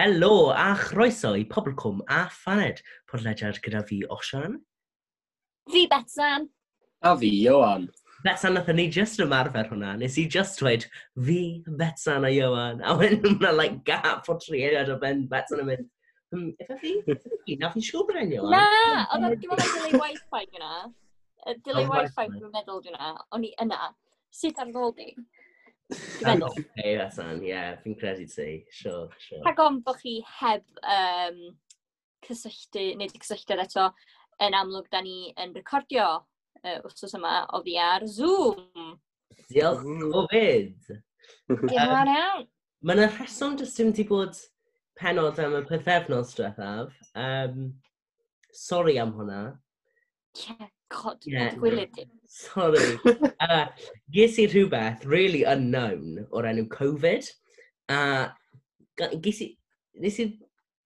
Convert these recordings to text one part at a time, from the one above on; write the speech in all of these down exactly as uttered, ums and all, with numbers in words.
Helo a chroeso i Pobl Cwm a Phaned, podlediad gyda fi Osian. Fi Betsan. A fi, Ioan. Betsan, nathon ni just ymarfer hwnna. Nes i just dweud fi, Betsan a Ioan. A wedyn hwnna like gap o tri eiliad o ben Betsan yn mynd, hmm, ife fi? Ife fi? Na, fi'n siŵr bod e'n Ioan. Na, oedd o'n dwi'n meddwl delay wifi yna. Delay Oh, wifi wifi. dwi'n meddwl yna. O'n i yna. Sut ar ôl di? Dwi'n meddwl. Hey, Betsan, ie, yeah, fi'n credu ti. Sure, sure. Rhag ofn bod chi heb um, cysylltu, neu di cysylltiad eto, yn amlwg da ni yn recordio uh, wrthos yma oddi ar Zoom. Diolch Covid. Diolch yn fawr iawn. Mae yna rheswm jyst dim di bod penod am y pythefnos diwethaf. Um, sorry am hwnna. Ie, god, Ie. yeah. Gwylydd di. Sorry. uh, ges i rhywbeth really unknown o'r enw Covid. A ga- ges i, nes i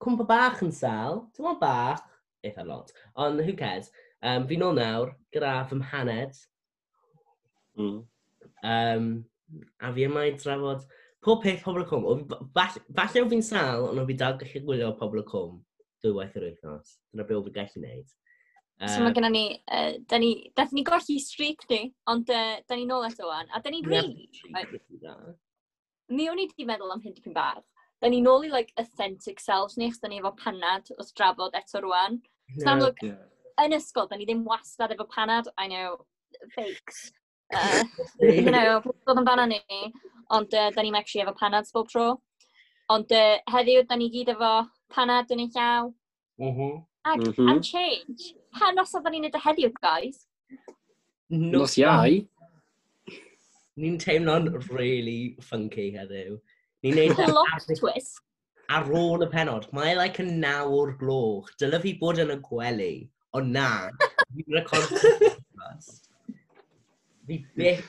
cwmpa bach yn sal. Dim ond bach, eitha lot. Ond who cares. Um, fi nôl nawr gyda fy mhaned. Mm. Um, a fi yma i drafod pob peth Pobl y Cwm. O, fi- Falle, falle o fi'n sal, ond o fi dal gallu gwylio Pobl y Cwm dwywaith yr wythnos. Dyna be o fi gallu gwneud. So mae gennym ni, uh, da ni, dathon ni golli streak ni, ond uh, da ni nôl eto wan. A da ni'n really, mi o'n i di meddwl am hyn dipyn bach. Da ni nôl i like, authentic selves ni, achos da ni efo panad wrth drafod eto rwan. So amlwg, Yeah. yn ysgol, da ni ddim wastad efo panad, I know, fakes. Uh, you know, dod amdano ni, ond uh, da ni'n actually efo panad bob tro. Ond uh, heddiw, da ni gyd efo panad yn ein llaw. Mm -hmm. Ac Mm mm -hmm. am change, pa noson da ni'n neud o heddiw, guys? Nos Iau. Ni'n teimlo'n really funky heddiw. Ni'n neud e Plot ar, twist. ar ôl y penod. Mae like yn naw o'r gloch. Dyle fi bod yn y gwely. Ond na. Fi'n record podcast. Fi byth,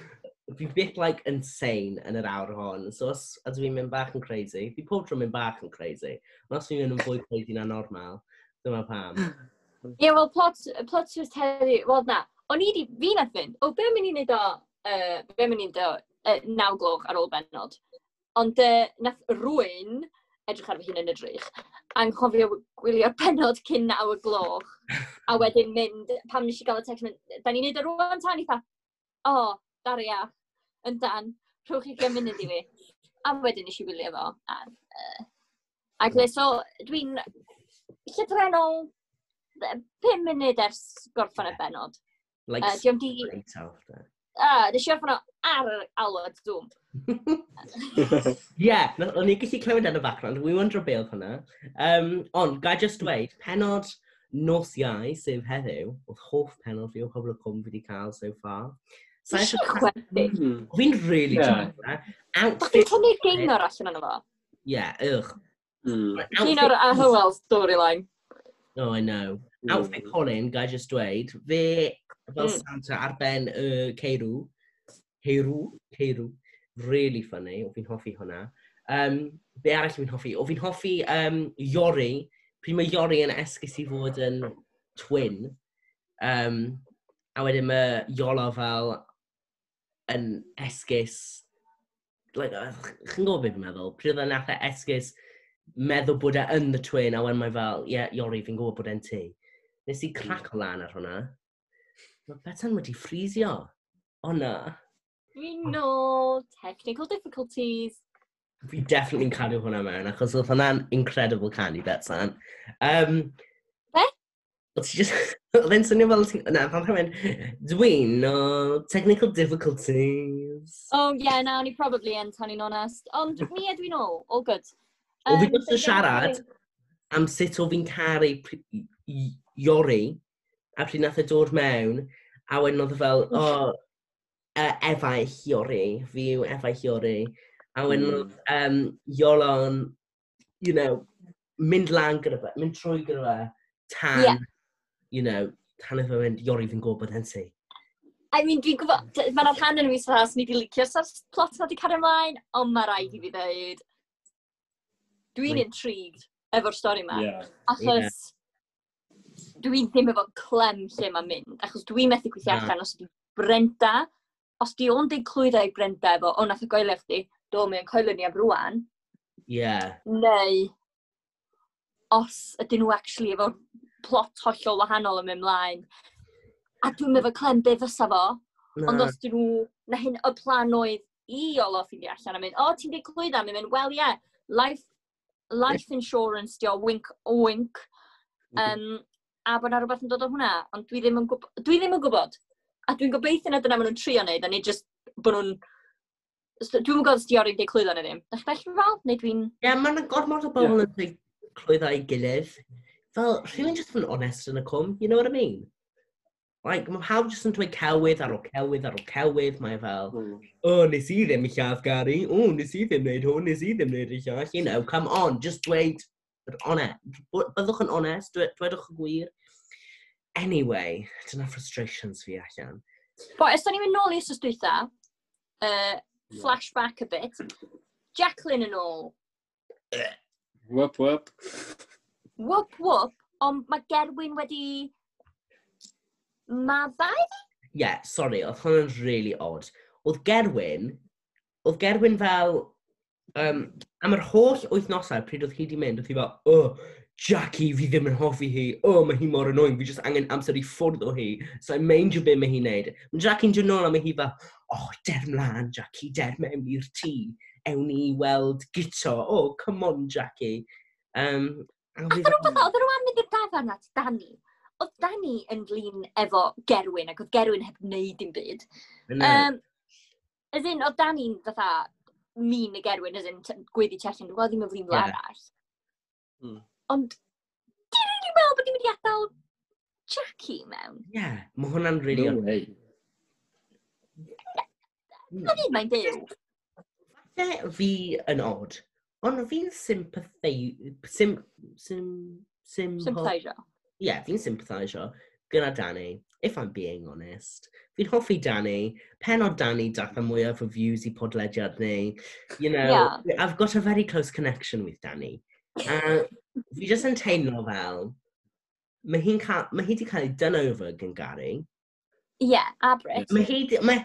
fi byth like insane yn yr awr hon. So os ydw i'n mynd bach yn crazy, fi pob tro mynd bach yn crazy. Ond os fi'n mynd yn fwy crazy na normal, dyma pam. Ie, yeah, wel, plot, plot twist heddiw, wel na, o'n i di, fi nath fynd, o, be mynd i wneud o, uh, be mynd i wneud o, uh, naw gloch ar ôl benod. Ond uh, nath rwy'n edrych ar fy hun yn y drych, anghofio gwylio'r penod cyn naw y gloch, a wedyn mynd, pam nes i gael y text, mynd, da ni'n neud o rwan tan, eitha, o, oh, daria, yn dan, rhowch chi ugain munud i fi. A wedyn nes i wylio fo. A, uh, ac le, so, dwi'n llythrennol pum munud ers gorffen y benod. Like, Uh, diolch di... straight after. Ah, nes i orffen o ar yr alwad Zoom. Ie, yeah, o'n i'n gallu clywed yn y background. We wondro be oedd hwnna. Um, ond, ga i just dweud, penod nos Iau, sef heddiw, oedd hoff penod fi o Pobl y Cwm fi wedi cael so far. Sa Nes i eisiau... chwerthin. Mm. Fi'n really Ie. yeah. joio Doch ti'n Outfit... tynnu Gaynor allan ono fo? Yeah, ugh. Mm. Gaynor a Hywel storyline. Oh, I know. Outfit Colin, ga i just dweud, fe fel Mm. Santa ar ben y ceirw. Ceirw? Ceirw. Really funny, o fi'n hoffi hwnna. Um, be arall fi'n hoffi? O fi'n hoffi um, Iori. Pryd mae Iori yn esgus i fod yn twin. Um, a wedyn mae Iolo fel yn esgus... Like, uh, chi'n gwybod beth fi'n meddwl? Pryd oedd e nath e esgus meddwl bod e yn the twin, a wedyn mae fel, ie, yeah, Iori, fi'n gwybod bod e'n ti. Nes i craco lan ar hwnna. Mae Betsan wedi ffrisio. O na. Dwi'n nôl, technical difficulties. Fi definitely yn cadw hwnna mewn, achos oedd hwnna'n incredible canu, Betsan. Um, Be? Oedd ti just... Oedd e'n swnio fel... ti- Na, pan rhywun... Dwi'n no technical difficulties. Oh yeah, na, o'n i probably yn, tan i'n onest. Ond mi ydw i'n ôl, all good. O, fi Yym, jyst yn siarad am sut o fi'n caru pr- i- Iori, a pryd nath e dod mewn, a wedyn oedd e fel, o, oh, uh, efaill Iori, fi yw efaill Iori. A wedyn Mm. oedd um, Iolo'n, you know, mynd lan gyda fe, mynd trwy gyda fe, tan, Ie. you know, tan oedd fe'n mynd, "Iori, fi'n gwybod bod e'n ti." I mean, dwi'n gwybod, mae'n rhan yn y mis fatha, swn i wedi licio sa'r plot na wedi cario ymlaen, ond mae rhaid i fi ddeud, dwi'n Like- intrigued efo'r stori yma. Yeah. Achos dwi'n ddim efo clem lle mae'n mynd, achos dwi'n methu gweithio Na. allan os ydi Brenda, os di o'n deud clwydda i Brenda efo, "O, nath o goelio chdi, do, mae'n coelio ni am rwan," Yeah. neu Os ydyn nhw actually efo plot hollol wahanol yn mynd mlaen. A dwi'n efo clem be fysa fo, Na. ond os dyn nhw, na hyn y plan oedd i Iolo ffeindio allan a mynd, "O, ti'n dweud clwydda?" Mae'n mynd, "Well, yeah, life, life insurance, dio, wink, wink." Um, a bod na rhywbeth yn dod o hwnna, ond dwi ddim yn, gwb dwi ddim yn gwybod. A dwi'n gobeithio na dyna maen nhw'n trio wneud, a nid just bod nhw'n... Dwi'm yn gwybod os di Iori'n deud clwydda neu ddim. Dach chi'n fel? Neu dwi'n... Ie, yeah, mae'n gormod o bobl yn dweud clwydda i gilydd. Fel, rhywun just yn honest yn y cwm, you know what I mean? Like, mae pawb just yn dweud celwydd ar ôl celwydd ar ôl celwydd. Mae fel, Mm. "O, oh, nes i ddim lladd Gary, o, oh, nes i ddim wneud hwn, nes i ddim wneud y llall." You know, come on, just dweud yr honest. Byddwch yn honest, dwe, dwedwch y gwir. Anyway, dyna frustrations fi allan. Bo, os da ni'n mynd nôl i wsos dwytha, uh, flashback a bit, Jacqueline yn ôl. Whoop, whoop. Whoop, whoop, ond mae Gerwyn wedi maddau? Yeah, sorry, oedd hwnna'n really odd. Oedd Gerwyn, oedd Gerwyn fel, um, am yr holl wythnosau pryd oedd hi di mynd, oedd hi fel, "Oh, Jackie, fi ddim yn hoffi hi, oh, mae hi mor annoying, fi just angen amser i ffwrdd o hi, so i'n meindio be mae hi'n neud." Mae Jackie'n dod nôl a mae hi fel, "Oh, der mlaen, Jackie, der mewn i'r tŷ, ewn ni i weld Guto, oh, come on, Jackie." Um, a fi Oedden nhw fatha, oedden nhw am mynd i'r dafarn at Danny. Oedd Danny yn flin efo Gerwyn, ac oedd Gerwyn heb wneud dim byd. Yna. Um, as in, oedd Danny'n fatha mean y Gerwyn, as in, t- gweiddi tu allan, dwi'n gweld ddim yn flin fel Ie. arall. Mm. Ond, ti'n rili meddwl bod ni'n mynd i adael Jackie mewn? Yeah, mae hwnna'n really No odd. way. Na fyd mae'n byw. Falle fi yn odd, ond fi'n sympathei... Sim... Sim... Sim... Sympathisio. Yeah, fi'n sympathisio gyda Danny, if I'm being honest. Fi'n hoffi Danny. Penod Danny dath y mwyaf o views i podlediad ni. You know, Yeah. I've got a very close connection with Danny. Uh, fi jyst yn teimlo fel, mae hi'n cael, mae hi wedi cael ei done over gan Gary. Ie, yeah, a Brit. Mae hi, di- mae,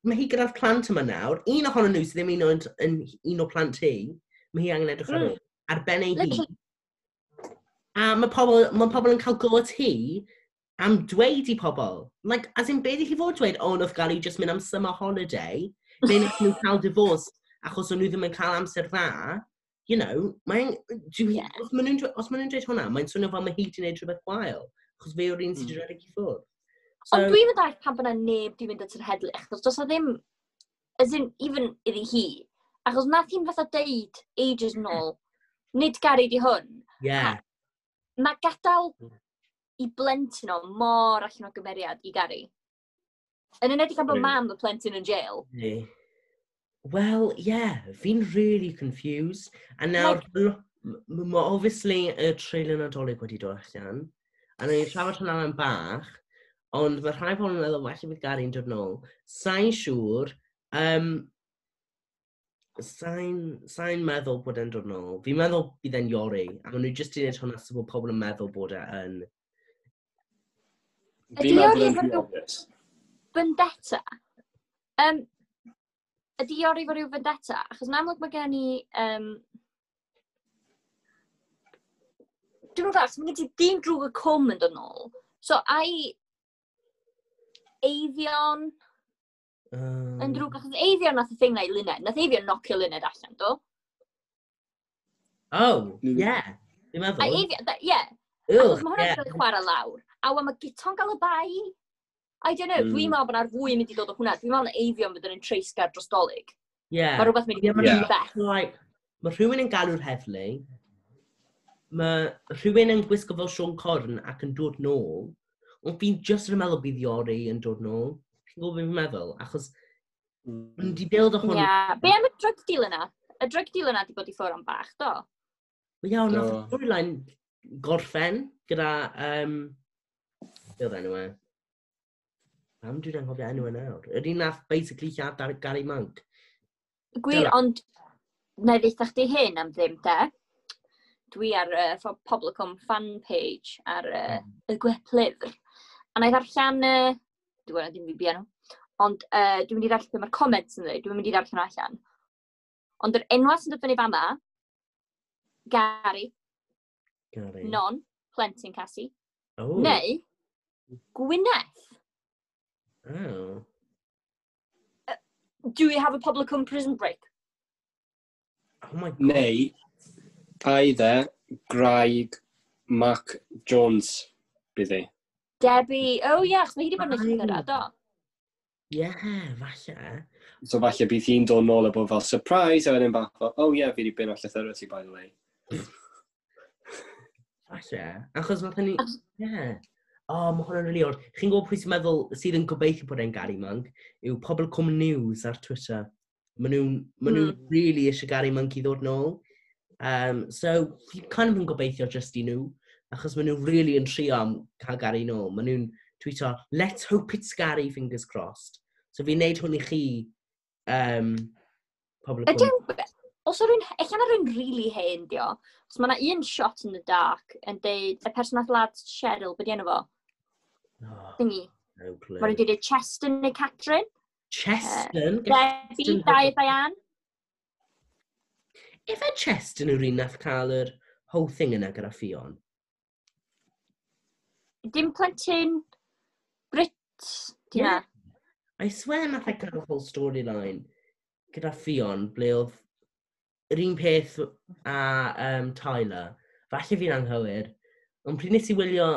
mae hi gyda'r plant yma nawr. Un ohonyn nhw sydd ddim un o'n, yn un o plant hi. Mae hi angen edrych ar Mm. ôl. Ar ben ei hun. Literally. A mae pobl, mae pobl yn cael go at hi am dweud i pobl. Like, as in, be di hi fod dweud, "O, nath Gary just mynd am summer holiday, neu nath nhw cael divorce achos o'n nhw ddim yn cael amser dda." You know, mae'n... Dwi, Yeah. Os maen nhw'n dwe- os maen nhw'n dweud hwnna, mae'n swnio fel mae hi wedi gwneud rhywbeth gwael. Achos fe yw'r un sydd wedi Mm. rhedeg i ffwrdd. Ond dwi'n mynd dallt pam bod 'na neb di mynd at yr heddlu, achos does 'na ddim, as in, even iddi hi, achos nath hi'n fatha deud ages nôl, "Nid Gary di hwn." Yeah. Mae gadael Mm. i blentyn o mor allan o gymeriad i Gary. Yn enwedig am bod Really? mam y plentyn yn jail. Really. Well, yeah, fi'n really confused. A nawr, lo- m- mae obviously y trailer Nadolig wedi dod allan. A nawn ni trafod hwnna mewn bach. Ond mae rhai pobl yn meddwl falle bydd Gary'n dod nôl. Sa'n siŵr. Um, Sa'n sa'n meddwl bod e'n dod nôl. Fi'n meddwl bydd e'n Iori. A maen nhw jyst i wneud hwnna so bod pobl yn meddwl bod e yn. Ydi Fi'n meddwl Iori yn efo rhy rhyw obvious. vendetta? Um, ydy Iori efo rhyw vendetta? Achos yn amlwg mae gen i... Um, dwi'n meddwl, achos mae gen ti dyn drwg y cwm yn dod nôl. So, ai Eifion Um, yn drwg, achos Eifion nath y thing na i Luned. Nath Eifion nocio Luned allan, do? Oh, Mm. yeah. Fi'n A meddwl. Eifion, da- ie, Ugh, achos mae hwnna'n yeah. cael ei chwarae lawr. A wan mae Guto'n gael y bai. I don't know, Mm. dwi'n meddwl bod 'na'r fwy yn mynd i dod o hwnna. Dwi'n meddwl na Eifion fydd yn treisgar dros Dolig. Yeah. Mae rhywbeth mynd i Ie, fod ma' yn Yeah. bell. Like, mae rhywun yn galw'r heddlu, mae rhywun yn gwisgo fel Siôn Corn ac yn dod nôl, ond fi'n just yn meddwl bydd Iori yn dod nôl. Chi'n gwybod beth fi'n meddwl? Achos Mm. maen nhw wedi build o hwn. Ie. Be am y drug dealer na? Y drug dealer na di bod i ffwrdd am bach, do? Wel, iawn, nath y Do. storyline gorffen gyda... Um, be oedd enw e? Pam dwi'n anghofio enw e nawr? Yr un nath basically lladd ar Gary Monk. Gwir, Dyna. ond na i ddeutha chdi hyn am ddim, de. Dwi ar uh, Pobl y Cwm fan page ar uh, y gweplyfr. A na i ddarllen, uh, dwi'n gwybod ddim fi bia nhw, ond uh, dwi'n mynd i ddarllen be mae'r comments yn dweud, dwi'n mynd i ddarllen nhw allan. Ond yr enwa sy'n dod fyny fama, Gary, Gary. Non, plentyn Cassie. Oh. Neu Gwyneth. Oh. Do we have a Pobol y Cwm prison break? Oh my God. Neu, either gwraig Mark Jones bydd hi. Debbie, oh yeah, achos mae hi wedi bod yn y llythyrau, do. Yeah, falle. So falle bydd hi'n dod nôl a bod fel surprise, a wedyn bach fel, "Oh yeah, fi wedi bin o'r llythyrau ti, by the way." Falle. Achos nath ni. Yeah. Oh, mae hwnna'n really odd. Chi'n gwybod pwy sy'n meddwl, sydd yn gobeithio bod e'n Gary Monk, yw Pobl Cwm News ar Twitter. Maen nhw'n ma nhw Mm. really eisiau Gary Monk i ddod nôl. Um, so, fi kind of yn gobeithio just i nhw, achos maen nhw really yn trio am cael Gary nôl. Maen nhw'n tweeto, "Let's hope it's Gary, fingers crossed." So fi'n neud hwn i chi, um, Pobl y Ydy, Cwm. os o rywun, ella na rywun really hen, dio. Os mae yna un shot in the dark yn deud, y person nath ladd Cheryl, beth enw fo? Oh, Thingy. no clue. Mae rhywun wedi dweud Cheston neu Catrin. Cheston? Debbie, Cheston. Dai Diane. Ife Cheston yw'r un nath cael yr whole thing yna gyda Ffion? Dim plentyn Brit, di na. I swear nath e cael y whole storyline gyda Ffion, ble oedd yr un peth a um, Tyler. Falle fi'n anghywir. Ond pryd nes i wylio,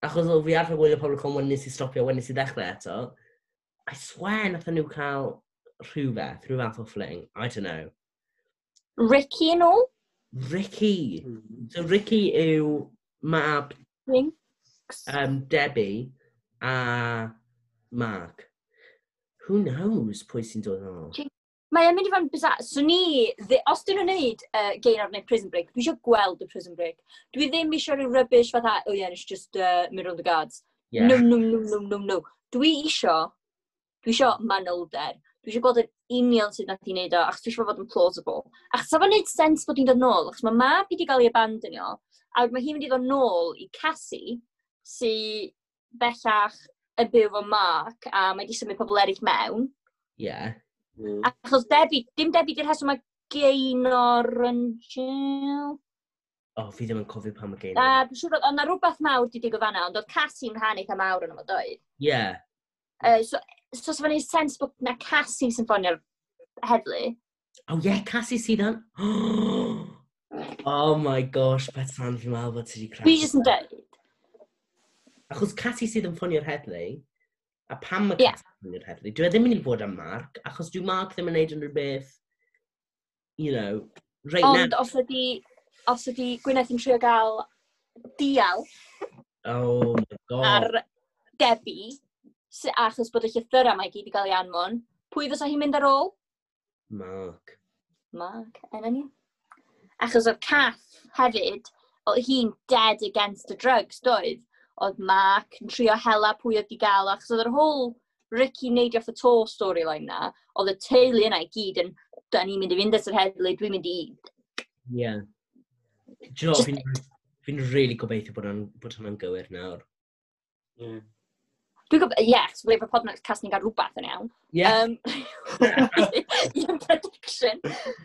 achos oedd fi arfer gwylio Pobl y Cwm, wedyn nes i stopio, wedyn nes i ddechrau eto, I swear nath nhw cael rhywbeth, rhyw fath o fling. I don't know. Ricky yn ôl? Ricky. So Ricky yw mab Jinx. um, Debbie a Mark. Who knows pwy sy'n dod yn ôl? Mae e'n mynd i fod yn bizarre. So ni, ddi- os dyn nhw'n neud uh, Gaynor neu Prison Break, dwi eisiau gweld y Prison Break. Dwi ddim eisiau rhyw rubbish fatha, "Oh yeah, it's just uh, mynd rownd the guards." Yeah. No, no, no, no, no, no. Dwi isio, dwi isio manylder. Dwi eisiau gweld yn union sut nath i wneud o, achos dwi eisiau fod yn plausible. Achos sa fo'n neud sens bod hi'n dod nôl, achos mae mab hi wedi cael ei abandonio, a wedyn mae hi'n mynd i ddod nôl i Cassie, sy bellach yn byw efo Mark, a mae wedi symud pobl eraill mewn. Yeah. Mm. Achos Debbie, dim Debbie di'r rheswm mae Gaynor yn jail. Oh, fi ddim yn cofio pam mae Gaynor. Na, dwi'n siŵr oedd yna rhywbeth mawr di digwydd fan'na, ond oedd Cassie'n rhan eitha mawr yn yma, doedd? Yeah. Uh, so, so, so fe'n neud sens bod na Cassie sy'n ffonio'r heddlu. Oh yeah, Cassie sydd yn. Oh my gosh, Bethan, fi'n meddwl bod ti wedi cracio. Dwi jyst yn dweud. Achos Cassie sydd yn ffonio'r heddlu, a pam mae Ie. Cassie yn ffonio'r heddlu? Dwi e ddim yn mynd i fod am Mark, achos dwi Mark ddim yn neud unrhyw beth, you know, right Ond now. os ydi, os ydi Gwyneth yn trio gael dial Oh my God. ar Debbie, sy- achos bod y llythyrau mae gyd i gael ei anfon, pwy fysa hi'n mynd ar ôl? Mark. Mark, yn union. Achos oedd Cath hefyd, oedd hi'n dead against the drugs, doedd? Oedd Mark yn trio hela pwy oedd di gael, o, achos oedd yr whole Ricky neidio off y to storyline na, oedd y teulu yna i gyd yn, "Da ni'n mynd i fynd at yr heddlu, dwi'n mynd i." Yeah. Do you know, Just- fi'n fi'n really gobeithio bod hwnna'n bod hwnna'n gywir nawr. Yeah. Dwi'n gwybod, ie, yeah, achos bod podcast ni'n gael rhywbeth yn iawn. Yeah. Um, un prediction.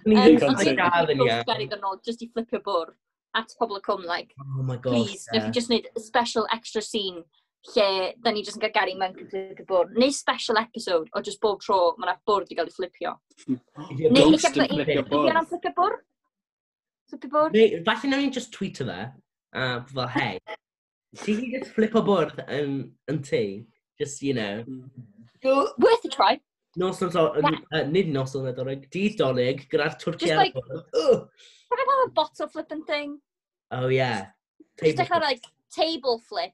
Ni Um, ddim Digon ond yn dwi'n gael yn gobeithio iawn. Gary ddod nôl, just i flipio bwrdd at Pobl y Cwm, like, Oh my gosh. please, yeah. Yeah. Newch chi just wneud a special extra scene lle da ni just yn cael Gary Monk yn flipio bwrdd. Neu special episode o just bob tro mae yna bwrdd i gael ei flipio. Neu Neu Ghost ella yn flipio Ydy bwrdd. hwnna'n flipio bwrdd? Flipio bwrdd? Neu, falle nawn ni just tweeto fe, a fel, "Hey, ti chi just flipo bwrdd yn, yn tŷ?" Just, you know. Worth a try. Nos nos, uh, nid nos o'n Nadolig, dydd Dolig, gyda'r twrci Just ar y like- bwrdd. Ugh. Have I have a bottle flipping thing? Oh yeah. Just Table dechrau like table flip.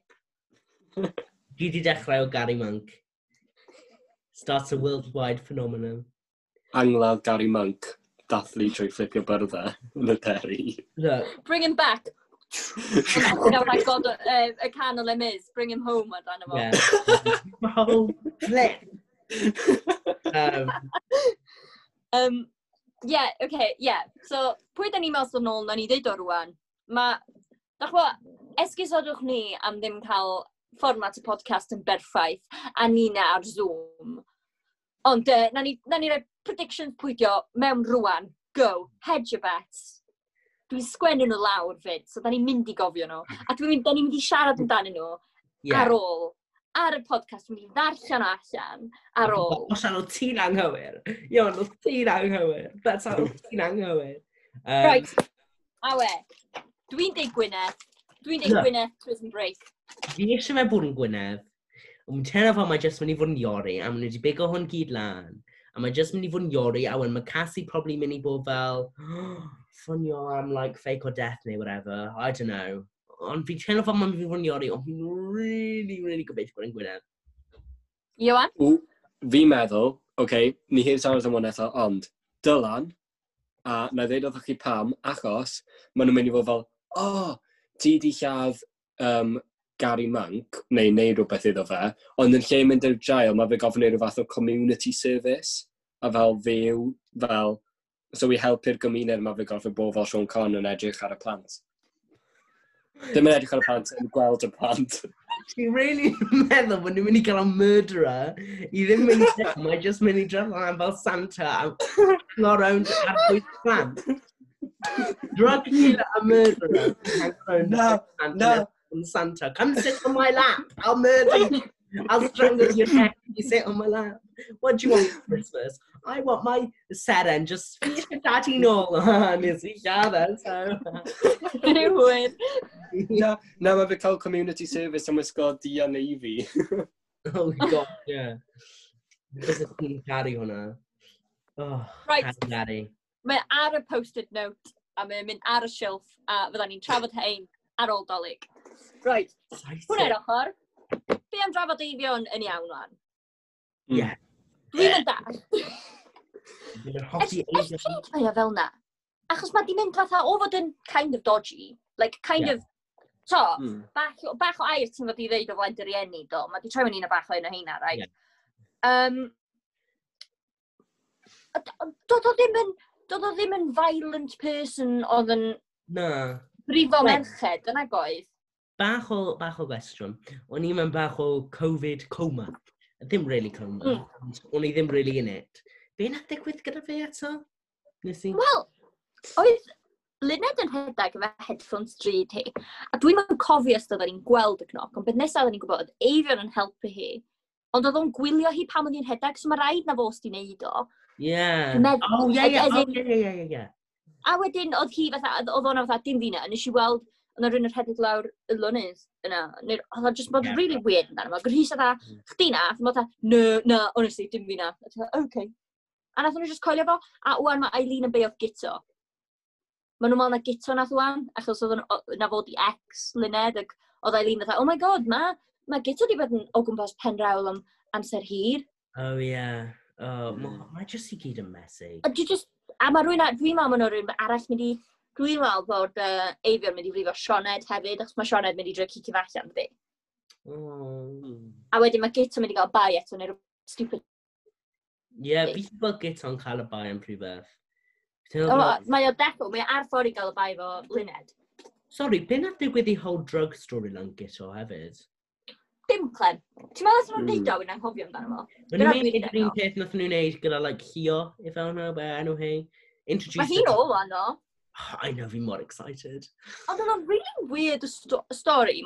Dwi di dechrau o Gary Monk. Starts a worldwide phenomenon. Angladd Gary Monk, dathlu trwy fflipio byrddau yn y deri. Look, Bring him back. Nawr like God, uh, y can o Les Mis, "Bring him home" amdano fo. Yeah. Oh, flip. Um, Um, yeah, okay, yeah. So, pwy da ni'n meddwl sydd nôl, na ni ddeud o rwan. Mae, dach ch'bo, esgusodwch ni am ddim cael fformat y podcast yn berffaith, a ni na ar Zoom. Ond, uh, na ni, na ni roi predictions pwydio mewn rwan. Go, hedge your bets. Dwi'n sgwennu nhw lawr fyd, so da ni'n mynd i gofio nhw. A dwi'n mynd, da ni'n mynd i siarad amdanyn nhw Yeah. ar ôl. Ar y podcast, dwi'n mynd i ddarllen o allan ar ôl. Osian, o ti'n anghywir. Ion, o ti'n anghywir. That's how ti'n anghywir. Um, Right, awe. Dwi'n deud Gwyneth. Dwi'n deud Na. Gwyneth Prison Break. Fi eisiau fe bod yn Gwyneth. Ond dwi'n teimlo fel mae jyst mynd i fod yn Iori, a maen nhw wedi bigo hwn gyd lan. A mae jyst mynd i fod yn Iori, a wedyn mae Cassie probably mynd i bod fel, ffonio am like fake or death neu whatever. I don't know. Ond fi'n teimlo fel mae'n mynd i fod yn Iori, ond fi'n really, really gobeithio bod yn Gwyneth. Iwan? Ww, fi'n meddwl, oce, okay, ni heb siarad am hwn eto, ond Dylan, a na i ddeud wrthych chi pam, achos maen nhw'n mynd i fod fel, o, oh, ti di lladd um, Gary Monk, neu neu rhywbeth iddo fe, ond yn lle mynd i'r jail, mae fe gofyn neud rhyw fath o community service, a fel fyw, fel, so i helpu'r gymuned, mae fe gorfod bod fel Siôn Corn yn edrych ar y plant. Dim yn edrych ar y plant, yn gweld y plant. Ti'n really meddwl bod nhw'n mynd i gael y murderer i ddim mynd i jail, mae jyst mynd i dref lan fel Santa a hang around ar bwys plant. Drug dealer a murderer. Hang around Na, Santa na. and Santa. Come sit on my lap. I'll murder you. I'll strangle your neck if you sit on my lap. What do you want for Christmas? I want my seren just fi eisiau daddy nôl. Nes i lladd e, so. Rhywun. Na, na, mae fe cael community service am wisgo du a navy. Oh god, yeah. Bysa ti'n caru hwnna. Oh, Right. caru Gary. Mae ar y post-it note, a mae'n mynd ar y shelf, a fydda ni'n trafod hein ar ôl Dolig. Right, hwnna i'r ochr. Be am drafod Eifion yn iawn wan? Yeah. Dwi'n mynd dall. Dwi'n hoffi Ers ers Eifion. pryd mae o fel na? Achos mae di mynd fatha o fod yn kind of dodgy. Like, kind Yeah. of, to, Mm. bach, bach o air ti'n fod i ddeud o flaen dy rieni, do. Mae di troi mewn un o bach o un o heina, right? Yeah. Um, a d- ond doedd o ddim yn, doedd o ddim yn violent person oedd yn Na. brifo Right. merched, yna goedd. Bach o, bach o gwestiwn. O'n i mewn bach o Covid coma. Ddim really coma. Mm. ond O'n i ddim really in it. Be nath ddigwydd gyda fe eto? Nes i? Wel, oedd Luned yn rhedeg efo headphones drud hi, a dwi'n yn cofio os oedden ni'n gweld y cnoc, ond beth nesaf oedden ni'n gwybod, oedd Eifion yn helpu hi, ond oedd o'n gwylio hi pan oedd hi'n rhedeg, so mae rhaid na fo sy 'di neud o. Yeah. Dwi'n meddwl- Oh, yeah, yeah. as Oh, in- yeah, yeah, yeah, yeah, yeah. A wedyn oedd hi fatha, oedd oedd o'na fatha, dim fi na, a nes i weld, oedd 'na rhywun yn rhedeg lawr y lonydd yna, neu oedd o just bod Yeah. really weird amdano fo. Gwrhys fatha, Mm. chdi na, a fatha, no, no, honestly, dim fi na. A ti fatha, okay. A nath nhw just coelio fo, a wan mae Eileen yn beio Guto. Maen nhw'n meddwl na Guto nath wan, achos oedd o'n- o- na fod i ex Luned, ac oedd Eileen fatha, oh my god, ma, ma Guto di bod yn o gwmpas Penrawl am amser hir. Oh, yeah. Oh, Mm. mm. Mae jyst i gyd yn messy. A dwi just, a mae rhywun, a- dwi'n meddwl ma' 'na rhywun arall mynd i, dwi'n meddwl bod uh, Eifion mynd i frifo Sioned hefyd, achos mae Sioned mynd i drio cicio fe allan, dydi? Oh. Mm. A wedyn mae Guto mynd i gael bai eto, neu rhywbeth stupid. Yeah, fi wedi gweld Guto'n cael y bai am rhywbeth. Ti'n O, meddwl fel- mae o defo, mae o ar ffordd i gael y bai fo Luned. Sorry, be nath digwydd i whole drug storyline Guto hefyd? Dim clem. Ti'n meddwl os nhw'n Mm. deud o, wy'n anghofio amdano fo? Maen Dyna nhw'n dwi'n neud yr un meddwl. peth nath nhw'n neud gyda, like, Hio, if I don't know, be enw hi. Introduce Mae hi'n ôl wan o. I know, fi mor excited. Ond oedd o'n really weird sto story.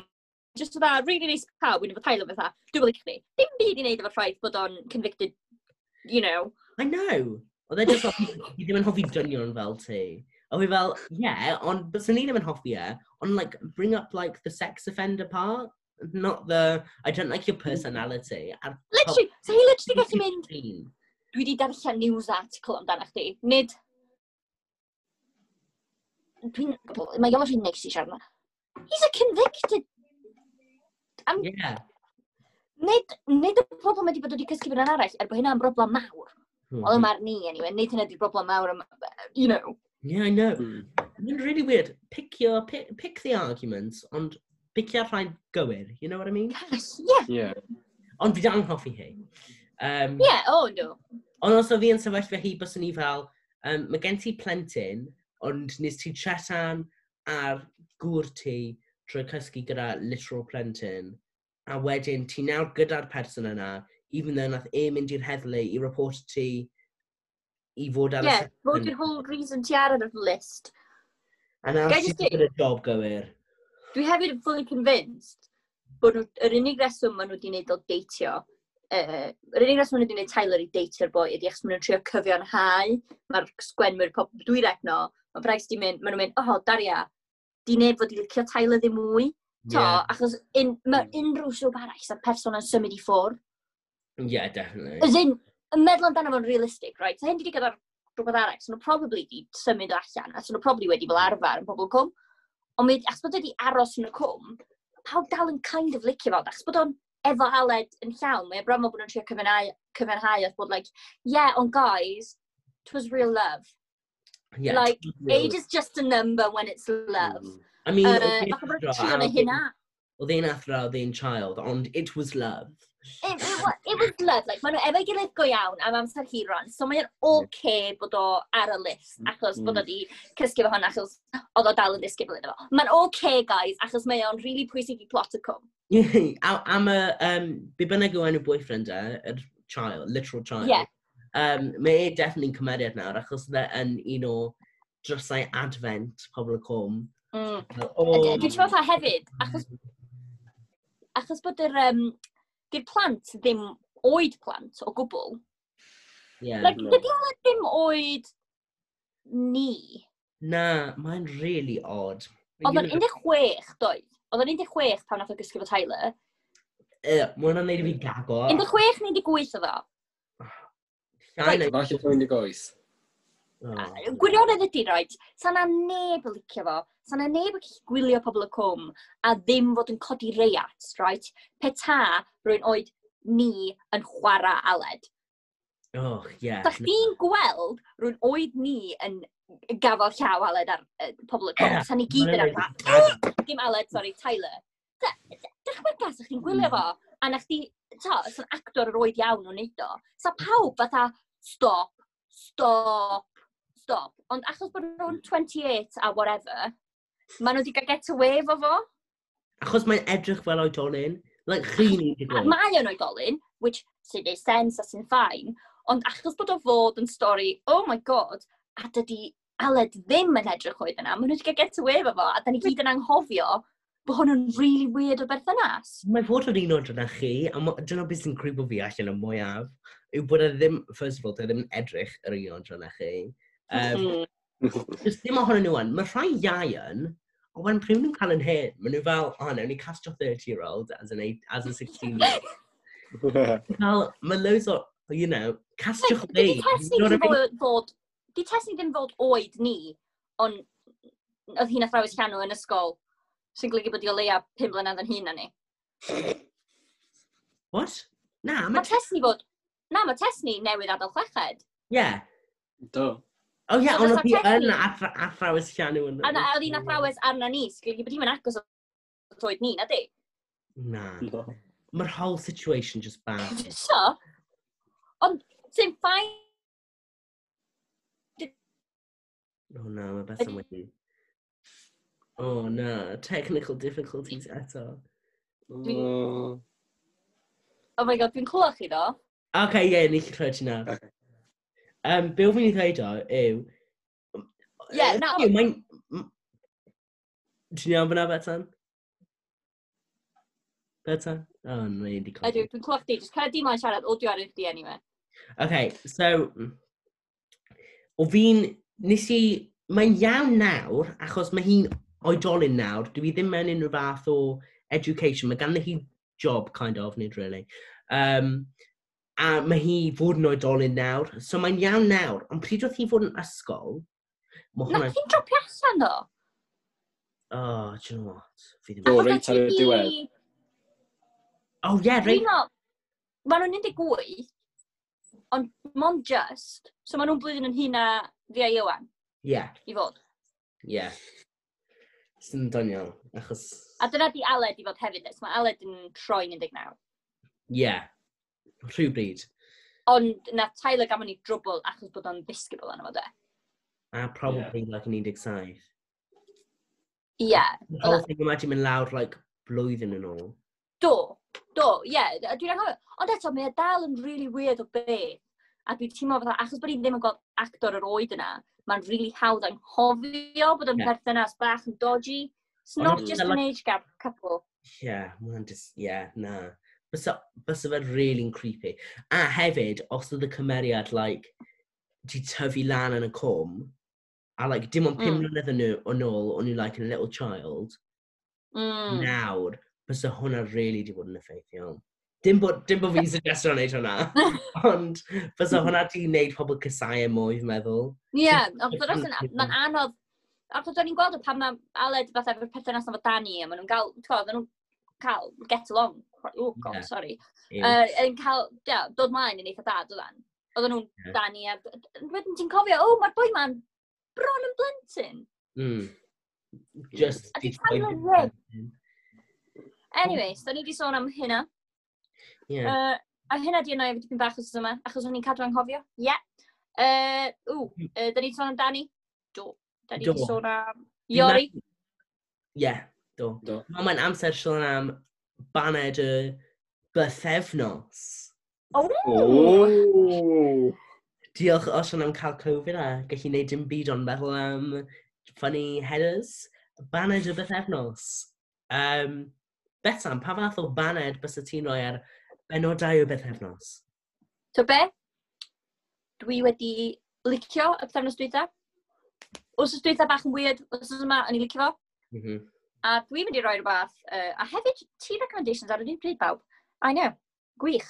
Just fatha, really nice pawb, wy'n efo Tyler fatha, dwi'n licio chdi. Dim byd i wneud efo'r ffaith bod o'n convicted, you know. I know. Oedd e just fel, fi ddim yn hoffi dynion fel ti. A fi fel, yeah, ond byswn ni ddim yn hoffi e, ond like, bring up like the sex offender part, not the, I don't like your personality. A'r Literally, so hi literally gallu mynd, Clean. dwi wedi darllen news article amdano chdi. Nid... Dwi'n... Mae Iolo rhy neis i siarad yma. He's a convicted... Am, Yeah. nid, nid y problem ydi bod wedi cysgu fy'n arall, er bod hynna'n broblem mawr. Hmm. Wel, yma'r ni, anyway, nid hynna di'r broblem mawr, am, you know. Yeah, I know. Mm. Mae'n really weird. Pick your, pick, pick the arguments, ond picio'r rhai gywir, you know what I mean? Gosh, yeah, Yeah. Ond fi dal yn hoffi hi. Um, yeah, oh no. Ond os o fi yn sefyllfa hi, byswn i fel, um, mae gen ti plentyn, ond nes ti tretan ar gŵr ti trwy cysgu gyda literal plentyn, a wedyn ti nawr gyda'r person yna, even though nath e mynd i'r heddlu i report ti i fod ar Yeah, y... fod yw'r whole reason ti ar y list. A nawr Gai jyst sy'n gyda job gywir. Dwi hefyd yn fully convinced bod nhw, yr unig reswm maen nhw wedi gwneud o deitio, uh, yr unig reswm maen nhw wedi gwneud Tyler i deitio'r boi ydy achos maen nhw'n trio cyfiawnhau, mae'r sgwenwyr, pop, dwi recno, mae Bryce di mynd, maen nhw'n mynd, "Oh, Daria, di neb fod i licio Tyler ddim mwy." To, Yeah, achos un, mae unrhyw soap arall, sa'r person yn symud i ffwrdd. Yeah, definitely. As in, yn meddwl amdano fo'n realistic, right? So hyn di gyda'r rhywbeth arall, so nhw probably di symud o allan, a so nhw probably wedi fel arfer yn Pobol y Cwm. Ond mi, achos bod wedi aros yn y cwm, pawb dal yn kind of licio fo, achos bod o'n efo Aled yn llawn, mae e bron fel bod nhw'n trio cyfiawnhau, cyfiawnhau oedd bod like, "Yeah, ond guys, it was real love." Yeah, Like, totally. age is just a number when it's love. Mm. I mean, Uh, oedd e'n fatha bod nhw'n athro trio a neud oedd e'n- hynna. Oedd e'n athro, oedd e'n child, ond it was love. It, it, wa- it was love, like, maen nhw efo'i gilydd go iawn am amser hiron, so mae'n okay bod o ar y list, achos bod o di cysgu efo hwn, achos oedd o dal yn ddisgybl iddo fo. Mae'n okay, guys, achos mae o'n really pwysig i plot y cwm. A- Am y, um, be bynnag yw enw boyfriend e, yr child, literal child. Yeah. Um, mae e definitely yn cymeriad nawr, achos oedd e yn un o drysau advent Pobol y Cwm. Mm. Fel, Oh. "Oh," Dwi'n teimlo fatha hefyd, achos, achos bod yr, um, di'r plant ddim oed plant o gwbl. Yeah. Like, No. dydy Aled ddim oed ni. Na, mae'n really odd. Oedd o'n un deg chwech, doedd? Oedd o'n un deg chwech pan nath o gysgu efo Tyler. Uh, mae hwnna'n neud i fi gago. un deg chwech neu un deg wyth oedd o. Llai na- Falle un deg wyth. Oh. Gwirionedd ydy, right, sa na neb yn licio fo, sa na neb yn gallu gwylio Pobol y Cwm a ddim fod yn codi reiat, right? Pe ta rwy'n oed ni yn chwarae Aled. Oh, yeah. Sa chdi'n gweld rwy'n oed ni yn gafel llaw Aled ar uh, Pobol y Cwm, Yeah, sa ni gyd yn ma' hwnna'n arfer, dim Aled, sorry, Tyler. Dychmyga sa chdi'n gwylio fo, a na chdi, to, sa'n actor yr oed iawn o'n neud o. Sa pawb fatha, "Stop, stop, stop." Ond achos bod nhw'n twenty-eight a whatever, maen nhw wedi cael get away efo fo. Achos mae'n edrych fel oedolyn. Like, chi'n un A mae o'n oedolyn, which sy'n neud sense a sy'n fine, ond achos bod o fod yn stori, oh my God, a dydy Aled ddim yn edrych oed yna, maen nhw wedi cael get away efo fo, a da ni gyd yn anghofio bod hwn yn really weird o berthynas. Mae fod yn un oed yna chi, a ma- dyna beth sy'n creepo fi allan y mwyaf, yw bod e ddim, first of all, dyw e ddim yn edrych yr un oed yna chi. Um, Mm. Just ddim ohonyn nhw yn. Mae rhai iau yn, ond when pryd nhw'n cael yn hyn, maen nhw fel, "Oh, no, ni castio thirty-year-old as, an eight, as a sixteen-year-old." Fel, mae loads o, you know, castiwch fi. Dydy Tesni You know ddim what I mean? fod, fod, di Tesni ddim fod oed ni, ond oedd hi'n athrawes llanw yn ysgol, sy'n golygu bod hi o leia pum mlynedd yn hŷn na ni. What? Na, Mae mae... Tesni fod, na, mae Tesni newydd adael chweched. Yeah. Do. Oh, yeah, So ond fysa oedd hi yn Tesni- athra- athrawes llanw yn... A na, oedd hi'n athrawes arna ni, sy'n golygu bod hi'n agos at oed ni, na di? Na. No. Mae'r whole situation just bad. So, ond sy'n fine. Oh no, mae Bethan wedi... Oh no, technical difficulties eto. Oh. Oh my God, dwi'n clywed chi ddo. Okay, yeah, ni gallu clywed ti nawr. Okay. Um, be o'n fi'n ei ddweud o yw... Ie, na. Yw, Mae'n... m- Ti'n iawn fyna, Bethan? Bethan? Oh, mae'n di Ydw, colli. dwi'n clywed chdi. Just cael y dim siarad, audio ar chdi anyway. Okay, so... O fi'n... Nes i... Mae'n iawn nawr, achos mae hi'n oedolyn nawr. Dwi ddim mewn unrhyw fath o education. Mae ganddi hi job, kind of, nid really. Um, a mae hi fod yn oedolyn nawr. So mae'n iawn nawr. Ond pryd oedd hi fod yn ysgol, mae Na, hwnna... hi'n dropio allan ddo. Oh, do you know what? Fi ddim... Do, Achos reit ar y nath hi- diwedd. Oh, yeah, Dwi'n reit. meddwl, maen nhw'n un deg wyth, ond mond just, so maen nhw'n blwyddyn yn hŷn na fi a Iwan, Yeah, i fod. Yeah. Sy'n doniol, achos... A dyna di Aled i fod hefyd, so mae Aled yn troi'n un deg naw. Yeah. Rhywbryd. Ond na Tyler gafon ni drwbl achos bod o'n ddisgybl arno fo de. A probably, yeah, like, yn un deg saith. Ie, yeah. The whole thing yma di mynd lawr, like, blwyddyn yn ôl. Do, do, ie, yeah, dwi'n anghofio. Ond eto, mae e dal yn really weird o beth. A dwi'n teimlo fatha, achos bod ni ddim yn gweld actor yr oed yna, mae'n really hawdd anghofio bod yn Ie. perthynas bach yn dodgy. It's Ond not mm. just an age gap couple. Yeah, ma' just, yeah, na. Bysa, bysa fe really creepy. A hefyd, os oedd y cymeriad, like, di tyfu lan yn y cwm, a like, dim ond pum Mm. mlynedd yn nhw- yn ôl, o'n nhw like a little child, Mm. nawr, bysa hwnna really di bod yn effeithiol. Dim bod, dim bod fi'n suggestio wneud hwnna, ond bysa hwnna di wneud pobl casáu e mwy, fi'n meddwl. Ie, yeah, ond Just dros kind of- mae'n anodd. Achos o'n i'n gweld o pan mae Aled fatha efo'r perthynas efo Danny, a maen nhw'n gael, ti'n gwybod, maen nhw'n cael get along. Oh, God, Ie. sorry. Yw. Uh, yn cael, yeah, dod mlaen yn eitha da, doeddan. Oedden nhw'n Ie. Danny, a wedyn ti'n cofio, oh, mae'r boi ma'n bron yn blentyn. Mm. Just A di di cael tyfu y rib. Anyway, so ni wedi sôn am hynna. Yeah. Uh, a hynna di yna efo dipyn bach wsos yma, achos o'n i'n cadw anghofio. Ie. Yeah. Uh, ww, uh, da ni wedi sôn am Danny? Do. Da ni Do. wedi sôn am Fi'n Iori? Yeah, do. Do. Wel, mae'n amser sôn am baned y bythefnos. Oh! Oh! Diolch Osian am cael Covid a gallu gwneud dim byd ond meddwl am funny headers. Baned y bythefnos. Um, Betsan, pa fath o baned bysa ti'n rhoi ar benodau o bythefnos? So be? Dwi wedi licio y pythefnos dwytha. Wsos dwytha bach yn weird, wsos yma o'n i licio fo. Mm -hmm. A dwi'n mynd i roi rhywbeth, uh, a hefyd tea recommendations ar yr un pryd bawb. I know, gwych.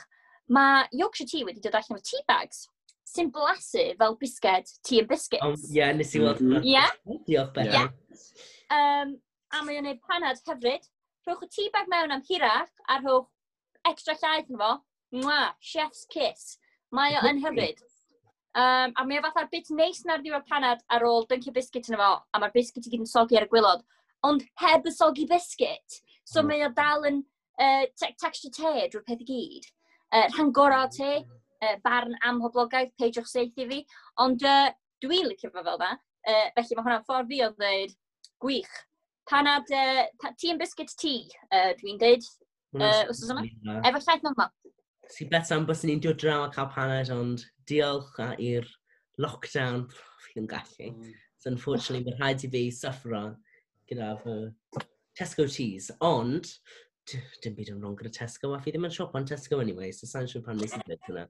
Mae Yorkshire Tea wedi dod allan o tea bags sy'n blasu fel bisged tea and biscuits. Um, yeah, nes i weld. Mhm. hwnna. Ie. Diolch, Betsan. Um, a mae o'n gwneud panad hyfryd. Rhowch y tea bag mewn am hirach a rhowch extra llaeth yn fo. Mwah, chef's kiss. Mae o yn hyfryd. Um, a mae o fatha'r bit neis na'r ddiwedd panad ar ôl dyncio biscuit yn fo, a mae'r biscuit i gyd yn soggy ar y gwaelod, ond heb y soggy biscuit. So Mm. mae o dal yn uh, te texture te drwy'r peth i gyd. Uh, rhan gorau o te, uh, barn amhoblogaidd, peidiwch saethu fi. Ond uh, dwi'n licio fo fel 'na. Uh, felly mae hwnna'n ffordd fi o ddweud, gwych. Panad, uh, pa, tea and biscuit tea, uh, dwi'n deud, Hwnna'n uh, wsos yma. rili dda. Efo llaeth normal. Si Betsan, byswn ni'n dod draw a cael paned, ond diolch a i'r lockdown, fi ddim gallu. So unfortunately, mae rhaid i fi suffero gyda fy Tesco cheese. Ond, d- dim byd yn wrong gyda Tesco, a fi ddim yn siop on Tesco anyway, so sa'n siŵr pan nes i ddweud hwnna.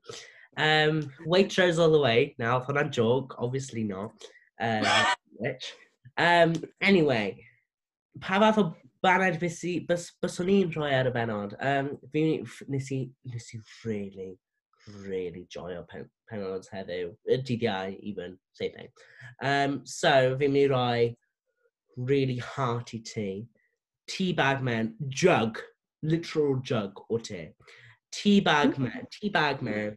Um, Waitrose all the way. Now, hwnna'n joke, obviously not. Um, which. Um, anyway, pa fath o baned bys, i, bys, byswn i'n rhoi ar y benod? Um, fi, f- nes i, nes i really, really joio pen, penod heddiw. Y dydd Iau, even, same thing. Um, so, fi'n mynd i roi really hearty tea. Tea bag mewn, jug, literal jug o te. Tea bag mewn, tea bag mewn,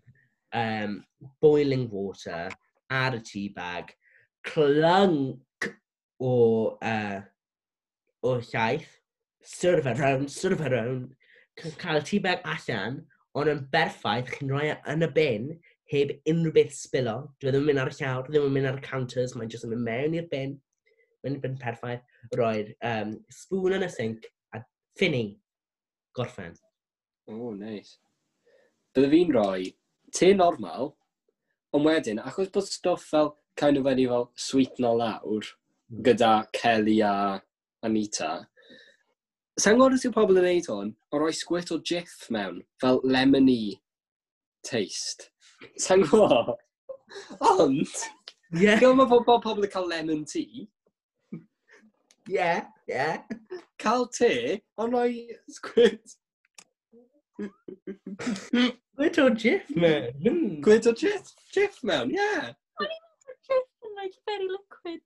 um, boiling water ar y tea bag, clunk o, uh, o llaeth, stir fe round, stir fe round, c- cael y tea bag allan, ond yn berffaith, chi'n rhoi e yn y bin, heb unrhyw beth spilo. Dwi ddim yn mynd ar y llawr, ddim yn mynd ar y counters, mae'n jyst yn mynd mewn i'r bin, mewn i'r bin perffaith, roi'r um, spoon yn y sink, a fini, gorffen. Oh, nice. Bydde fi'n rhoi te normal, ond wedyn, achos bod stwff fel kind of wedi fel sweetno lawr Mm. gyda Kelly a Anita, sa'n gwybod os yw pobl yn neud hwn, ond rhoi squirt o Jif mewn, fel lemony taste. Sa'n gwybod? Ond, Yeah, gyda mae pobl, pobl yn cael lemon tea, yeah, yeah. cael te, ond rhoi squirt, Squirt o Jif, man. Mm. squirt o Jif, Jif mewn, yeah. Jif yn like very liquid.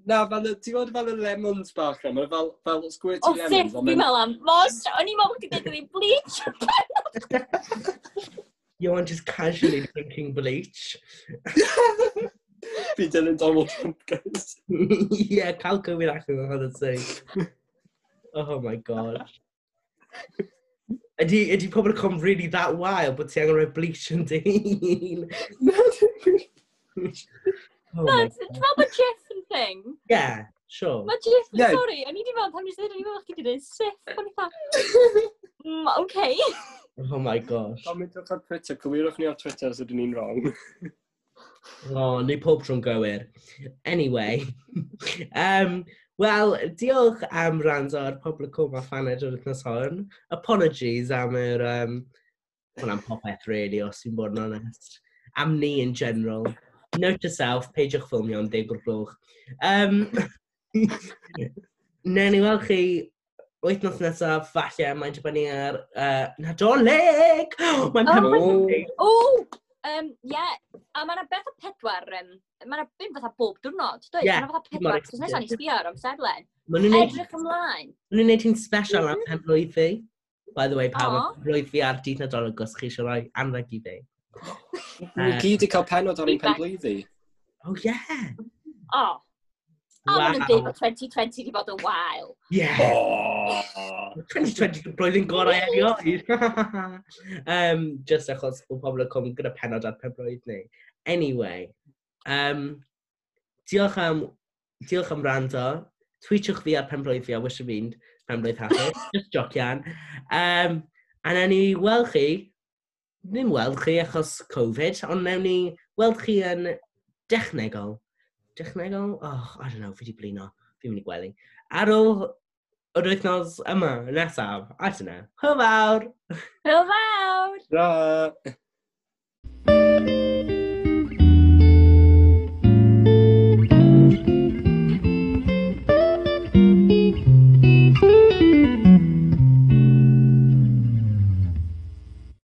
Na, fel, y- ti'n gwybod fel y lemons bach na, mae'n fel, fel squirty O, lemons. Cif, ond fi'n mae'n- meddwl am. Mos, o'n i'n meddwl bod chdi'n dweud iddi bleach. You're just casually drinking bleach. Fi dilyn Donald Trump, guys. Yeah, cael Covid allan o'n hwnna'n say. Oh my God. Ydy, ydy pobl yn come really that wild bod ti angen rhoi bleach yn dy hun? Oh Na, my ti'n meddwl bod Jif yn thing? Yeah, Sure. Mae Jiff, Ie. sorry, o'n i wedi meddwl, pan nes i ddweud, o'n i'n meddwl chdi wedi dweud Sif, o'n i fatha, mm, okay. Oh my gosh. Comentwch ar Twitter, cywirwch ni ar Twitter os ydyn ni'n wrong. Oh, ni pob tro'n gywir. Anyway. um, Wel, diolch am wrando ar Pobl y Cwm a Phaned yr wythnos hon. Apologies am yr... Um, well, am popeth, really, os fi'n bod yn onest. Am ni in general. Note to self, peidiwch ffilmio am ddeg o'r gloch. Um, Newn ni weld chi wythnos nesaf, falle, mae'n dibynnu ar uh, Nadolig! Mae'n Oh, pen O, um, yeah, a mae yna beth o pedwar, um, mae yna bum fatha bob diwrnod, does? Ie, Mae yna fatha mor pedwar, cos nesaf ni sbio ar amserlen. Maen nhw'n neud, Edrych ymlaen. ma' nhw'n neud hi'n special am pen blwydd fi. By the way, pawb, Aw. mae blwydd fi ar dydd Nadolig os chi eisiau rhoi anrheg i fi. Ni gyd i cael penod ar ein Feedback. penblwyddi. Oh, yeah! O, a maen nhw'n dweud Wow. bod twenty twenty wedi bod yn wael. Yeah! Oh. twenty twenty blwyddyn gorau erioed. um, just achos bod Pobl y Cwm gyda penod ar penblwydd ni. Anyway, um, diolch am, diolch am wrando. Tweetiwch fi ar penblwydd fi a wisho fi'n penblwydd hapus. Just jocian. Um, a newn ni weld chi, ddim weld chi achos Covid, ond newn ni weld chi yn dechnegol. Dechnegol? Oh, I don't know, fi di blino. Fi'n mynd i gwely. Ar ôl yr wythnos yma, nesaf, I don't know. Hwyl fawr! Hwyl fawr! Ra!